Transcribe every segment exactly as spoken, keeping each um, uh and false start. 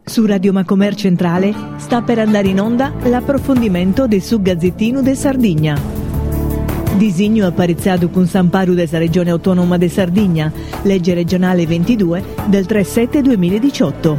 Su Radio Macomer Centrale sta per andare in onda l'approfondimento de su Gazzettinu de Sardigna. Disignu aparitzadu cun s'amparu de sa Regione Autonoma de Sardigna, legge regionale ventidue del tre sette duemiladiciotto.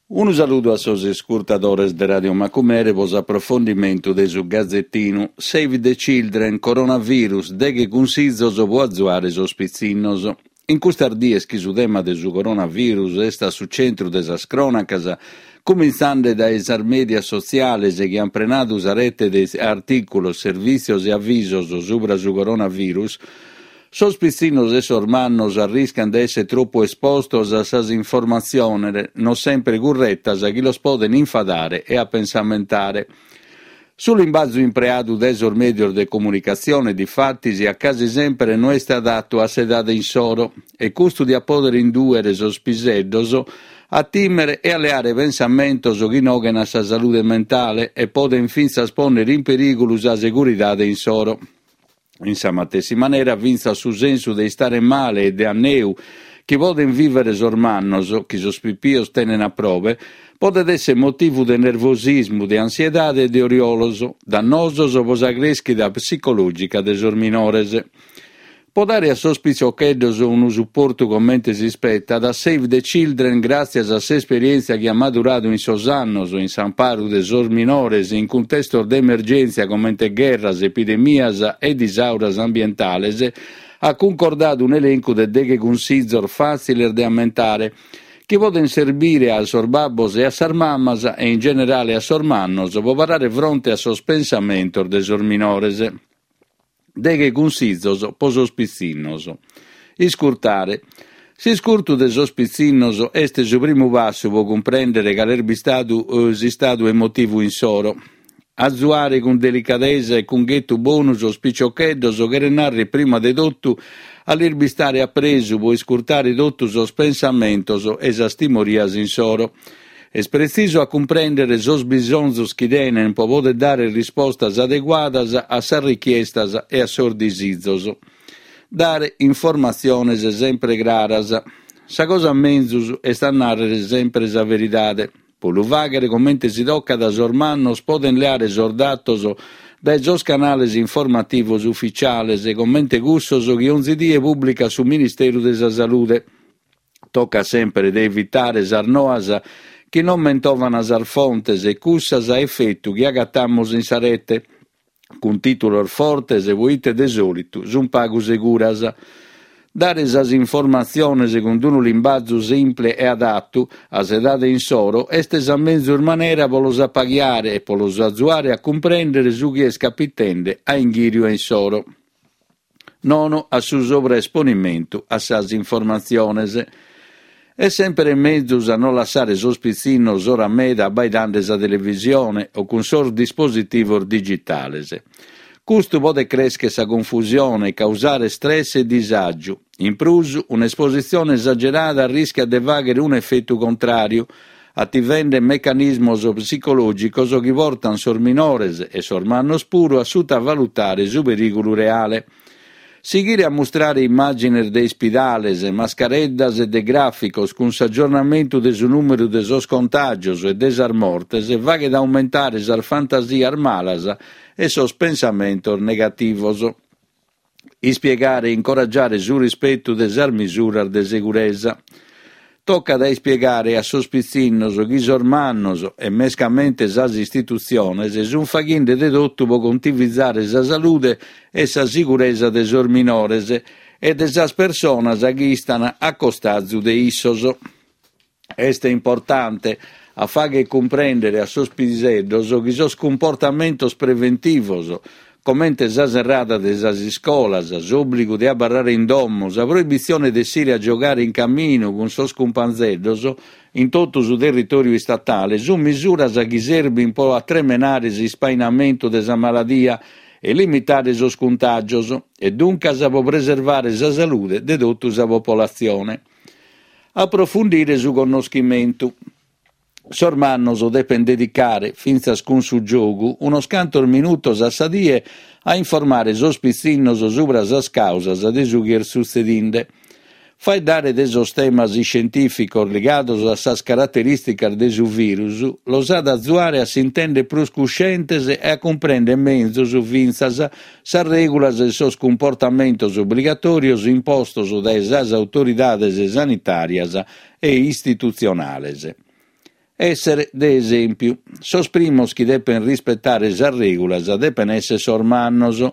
Unu saludu a sos iscurtadores de Radio Macumere pro s'aprofondimentu de su Gazettinu. Save the Children, coronavirus, deghe cunsizos pro azuare sos pitzinnos. In custas dies chi su tema de su coronavirus est a su centru de sas crònacas, cumintzande dae sas mèdias sotziales chi ant prenadu sa rete de artìculos, servìtzios e avisos subra su coronavirus, sos pitzinnos e sos mannos arriscant de èssere tropu espostos a sas informatziones non sempre curretas chi los podent infadare e apensamentare. Su limbazu impreadu dae sos mèdios de comunicatzione, difatis, a casi sempre no est adatu a s'edade insoro e custu diat pòdere indùere sos piseddos a tìmere e a leare pensamentos chi noghen a sa salude mentale e podent fintzas pònnere in perìgulu sa seguridade insoro. In sa matessi manera fintzas su sensu de istare male e de anneu chi podent vìvere sos mannos, chi sos pipios tenen a probe, podet èssere motivu de nervosismu, de ansiedade e de oriolos, dannosos pro sa crèschida psicològica de sos minores. Pro dare a sos pitziocheddos unu suportu comente s'ispetat, Save the Children, gràtzias a s'esperièntzia chi at maduradu in sos annos in s'amparu de sos minores in cuntestos de emergèntzia comente gherras, epidemias e disauras ambientales, at cuncordadu un'elencu de deghe cunsizos fàtziles de ammentare, chi podent serbire a sos babbos e a sas mamas e in generale a sos mannos pro parare fronte a sos pensamentos de sos minores. Deghe cunsizos pro sos pitzinnos. Iscurtare. S'iscurtu de sos pitzinnos est su primu passu pro cumprèndere cale est bistadu s'istadu emotivu insoro. Azuare cun delicadesa e cun ghetu bonu sos piciocheddos cheret nàrrere prima de totu a lis bistare a presu pro iscurtare totu sos pensamentos e sas timorias insoro. Est pretzisu a cumprèndere sos bisonzos chi tenen pro poder dare rispostas adeguadas a sas richiestas e a sos disizos. Dare informatziones sempre craras. Sa cosa menzus est a nàrrere sempre sa veridade. Pro lu fàghere comente si tocat, sos mannos podent leare sos datos dae sos canales informativos ufitziales, comente cussos chi onzi die pùblicat su Ministeru de sa Salude. Tocat sempre de evitare sas noas chi non mentovan sas fontes e cussas a efetu chi agatamus in sa rete, cun tìtulos fortes poite de sòlitu sunt pagu seguras. Dare sas informatziones cun unu limbazu simple e adatu a s'edade insoro est sa menzus manera pro los apaghiare e pro los azuare a cumprèndere su chi est capitende a inghìriu insoro. Nono a su sovraesponimentu a sas informatziones. Est sempre menzus a non lassare sos pitzinnos ora meda abbaidande sa televisione o cun sos dispositivos digitales. Custu podet crèschere sa confusione e causare stress e disàgiu. In prus, un'espositzione esagerada arriscat de fàghere un'efetu contràriu, ativende mecanismos psicològicos chi portant sos minores e sos mannos puru a sutavalutare su perìgulu reale. Sighire a mustrare immàgines de ispidales, mascareddas e de gràficos cun s'agiornamentu de su nùmeru de sos contàgios e de sas mortes faghet aumentare sas fantasias malas e sos pensamentos negativos. Ispiegare e incoragiare su rispetu de sas misuras de seguresa. Tocat a ispiegare a sos pitzinnos chi sos mannos, e mescamente sas istitutziones, sunt faghende de totu pro contivizare sa salude e sa siguresa de sos minores e de sas personas chi istan a costazu de issos. Est importante a fàghere cumprèndere a sos piseddos chi sos cumportamentos preventivos, comente sa serrada de sas iscolas, s'òbligu de abarrare in domo, sa proibitzione de essire a giogare in caminu cun sos cumpanzeddos in totu su territòriu istatale, sunt misuras chi serbint pro atremenare s'ispainamentu de sa maladia e limitare sos cuntàgios, e duncas pro preservare sa salude de totu sa popolatzione. Aprofundire su connoschimentu. Sos mannos depent dedicare, fintzas cun su giogu, unos cantos minutos a sa die a informare sos pitzinnos subra sas càusas de su chi est sutzedinde. Faeddare de sos temas iscientìficos ligados a sas caraterìsticas de su virus los at a azuare a s'intèndere prus cuscientes e a cumprèndere menzus fintzas sas règulas e sos cumportamentos obligatòrios impostos dae sas autoridades sanitàrias e istitutzionales. Èssere de esèmpiu. Sos primos chi depent rispetare sas règulas depent èssere sos mannos.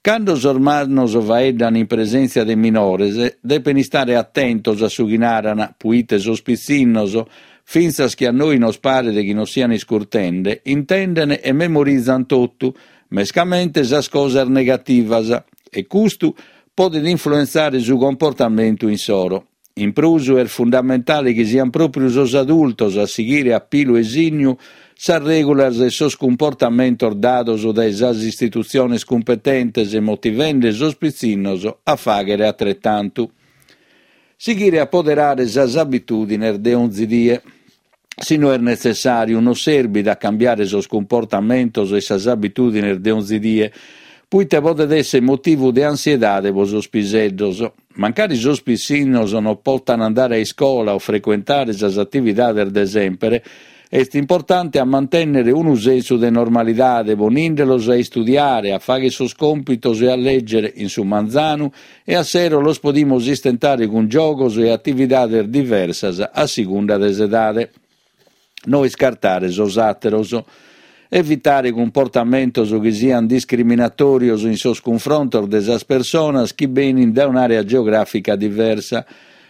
Cando sos mannos faeddan in presèntzia de minores, depen istare atentos a su chi naran, puite sos pitzinnos, fintzas chi a nois nos paret chi nos sian iscurtende, intenden e memorizan totu, mescamente sas cosas negativas, e custu podet influentzare su comportamentu insoro. In prus est fundamentale chi sian pròpiu sos adultos a sighire a pilu e signu sas règulas e sos cumportamentos dados dae sas istitutziones cumpetentes, motivende sos pitzinnos a fàghere atretantu. Sighire a poderare sas abitùdines de onzi die. Si no est netzessàriu, non serbit a cambiare sos cumportamentos e sas abitùdines de onzi die, puite podet èssere motivu de ansiedade pro sos piseddos. Mancari sos pitzinnos non potan andare a iscola o frecuentare sas atividades de semper, est importante a mantènnere unu sensu de normalidade, ponìndelos a istudiare, a fàghere sos còmpitos e a lègere in su manzanu e a sero los podimus istentare cun giogos e atividades diversas a segunda de s'edade. No iscartare sos àteros. Evitare cumportamentos chi sian discriminatòrios in sos cunfrontos de sas personas chi benint dae un'àrea geogràfica diversa.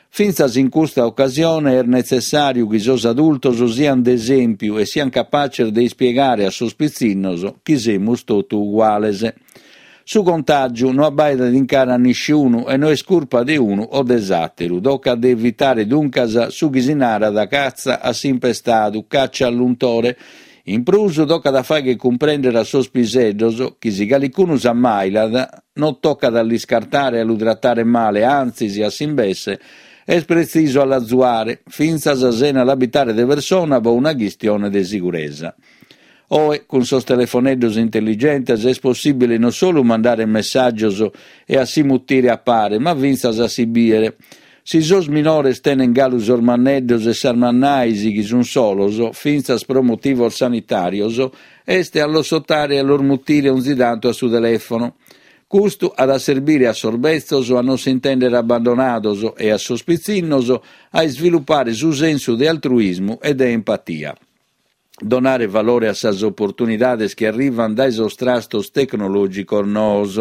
Fintzas in custa ocasione est netzessàriu chi sos adultos siant de esèmpiu e siant capaces de ispiegare a sos pitzinnos chi semus totu uguales. Su contàgiu no abbaidat in cara a nisciunu e no est curpa de unu o de s'àteru. Tocat de evitare duncas su chi si narat catza a s'impestadu, caccia all'untore. In prus tocat a fàghere cumprèndere a sos piseddos chi si calicunu s'ammàilat non tocat a l'iscartare e a lu tratare male, antzis, a s'imbesse, est pretzisu a l'azuare, fintzas sena l'abitare de persona pro una chistione de siguresa. Oe, cun sos telefoneddos intelligentes, est possìbile non solu mandare messàgios e a si mutire a pare, ma fintzas a si bìere. Si sos minores tenent galu sos manneddos e sas mannais chi sunt solos, fintzas pro motivos sanitàrios, est a los sotare e a los mutire onzi tantu a su telèfono. Custu at a serbire a sos betzos a non s'intèndere abbandonados e a sos pitzinnos a isvilupare su sensu de altruismu e de empatia. Donare valore a sas oportunidades chi arrivant dae sos trastos tecnològicos noos.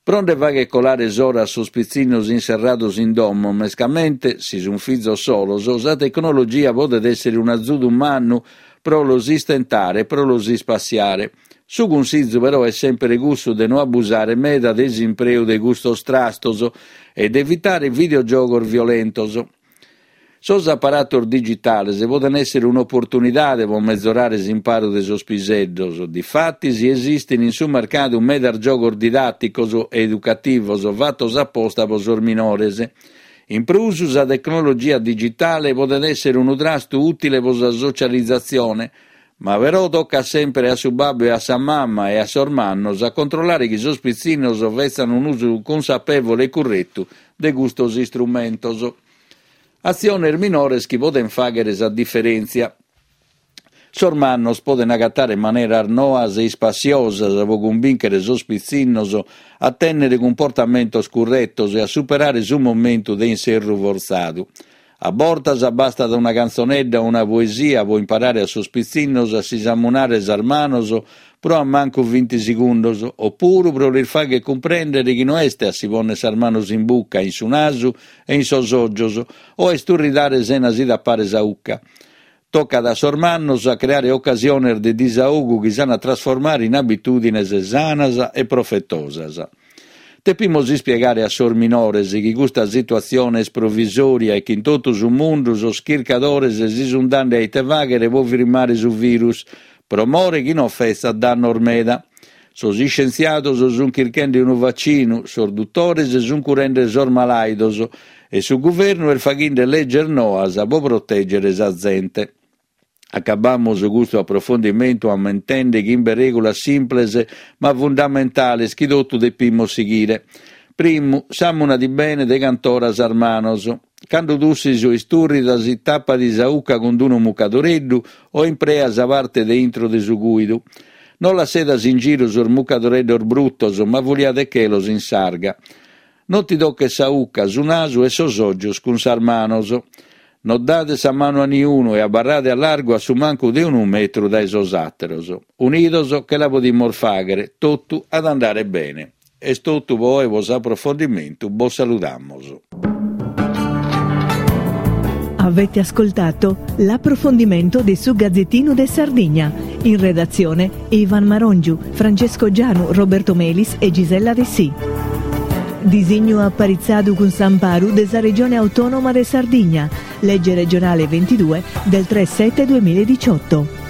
Pro nde fàghere colare s'ora a sos pitzinnos inserrados in domo, mescamente si sunt fizos solos, sa tecnologia podet èssere un'azudu mannu pro los istentare e pro los ispassiare. Su cunsizu però est semper cussu de no abusare meda de s'impreu de custos trastos e de evitare videogiogos violentos. Sos aparatos digitales podent èssere un'oportunidade pro mezorare s'imparu de sos piseddos. Difatis esistint in su mercadu medas giogos didàticos e educativos fatos aposta pro sos minores. In prus, sa tecnologia digitale podet èssere unu trastu ùtile pro sa socializatzione, ma però tocat semper a su babbu e a sa mama e a sos mannos a controllare chi sos pitzinnos fetzan un'usu consapevole e curretu de custos istrumentos. Atziones minores chi podent fàghere sa diferèntzia. Sos mannos podent agatare maneras noas e ispassiosas pro cumbìnchere sos pitzinnos a tènnere cumportamentos curretos e a superare su momentu de inserru fortzadu. A bortas bastat una cantzonedda o una poesia pro imparare a sos pitzinnos a si samunare sas manos pro a mancu vinti segundos, opuru pro lis fàghere cumprèndere chi no est a si pònnere sas manos in buca, in su nasu e in sos ògios, o a isturridare sena si tapare sa 'ucca. Tocat a sos mannos a creare ocasiones de disaogu chi s'an a trasformare in abitùdines sanas e profetosas. Depimus ispiegare a sos minores chi custa situatzione est provisòria e chi in totu su mundu sos chircadores si sunt dande a ite fàghere pro firmare su virus, pro more chi non fetzat dannos meda. Sos iscientziados sunt chirchende unu vacinu, sos dutores sunt curende sos malàidos e su guvernu est faghende leges noas pro protègere sa zente. Acabamus custu aprofondimentu ammentende chimbe règulas simples ma fundamentales chi totu depimus sighire. Primu, sàmuna-ti bene de cant'ora sas manos. Cando tussis o isturridas, tapa-ti sa 'ucca cun unu mucadoreddu o imprea sa parte de intro de su cùidu. Non lassedas in giru sos mucadoreddos brutos, ma fuliade-che-los in s'arga. Non ti toches sa 'ucca, su nasu e sos ògios cun sas manos. Non dade sa manu a niunu e abarrade a largu a su mancu de unu metru dae sos àteros. Unidos che la podimus fàghere, totu at andare bene. Est totu po oe po s'aprofondimentu, bos saludamus. Avete ascoltato l'approfondimento di Su Gazzettino de Sardigna. In redazione Ivan Marongiu, Francesco Gianu, Roberto Melis e Gisella Dessì. Disignu aparitzadu cun s'amparu de sa Regione Autonoma de Sardigna, legge regionale ventidue del tre sette duemiladiciotto.